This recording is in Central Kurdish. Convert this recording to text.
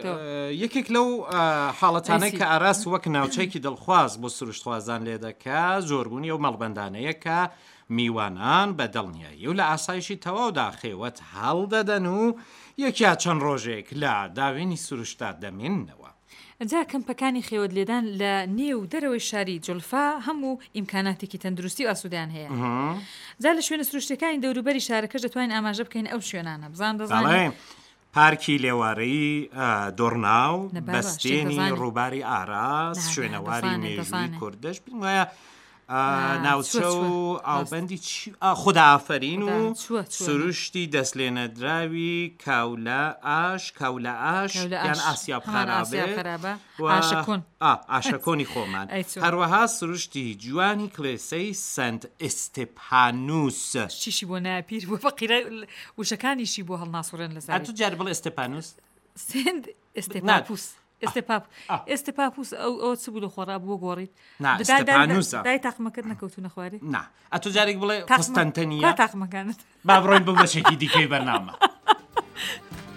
دەکەوێتەوە. یەکێک لەو حاڵەتانەی ئەی کە ئاراس وەک ناوچەیەکی دڵخواز بۆ سروشتخوازان لێ دەکا، زۆربوونی ئەو مەڵبەندانەیە کە میوانان بە دڵنیایی و لە ئاسایشی تەواودا خێوەت هەڵدەدەن و یەک یا چەند ڕۆژێک لە داوێنی سروشتدا دەمێننەوە. جا کەمپەکانی خێوەت لێدان لە نێو و دەرەوەی شاری جولفا هەموو ئیمکاناتێکی تەندروستی و ئاسوودەیان هەیە. جا لە شوێنە سروشتیەکانی دەوروبەری شارەکەش دەتوانین ئاماژە بکەین ئەو شوێنانە. بزان دەزانی؟ بەڵێ، پارکی لێوارەی دۆڕناو، نە بابە، شتێک بەستێنی دەزانی. ڕووباری ئاراس، نا نا شوێنەواری دەزانێ مێژووی دەزانێ. کوردش، پێم وایە نا چووە ناوچە چووە و ڕاست. ئاوبەندی چی خودائافەرین خودا و چووە چووە نا. سروشتی دەستلێنەدراوی کاولە ئاش کاولە ئاش کاولە یان ئاش ئاسیاب هەمان ئاسیاب خەرابێ خەرابە و ئاشە کۆن. ئا ئاشە کۆنی خۆمان ئەی چۆن. هەروەها سروشتی جوانی کڵێسەی سەنت ئیستێپانوس. چیشی بۆ نایە پیر بووە فەقیرە وشەکانیشی بۆ هەڵناسوڕێن لە زاری. ئەتوو جارێ بڵێ ئێستێپانوس. سێنت نا ئێستێپاپوس. ئێستێپاپ ئا. ئێستێپاپوس ئەو ئەوە چ بوو لە خۆڕا بووە گۆڕیت نا دا دا دا ئێستێپانوسە. دای تاقمەکەت نەکەوتوونە خوارێ؟ نا ئەتوو جارێک بڵێ تاقمە قوستەنتەنیە؟ کوا تاقمەکانت؟ با بڕۆین بۆ بەشێکی دیکەی بەرنامە.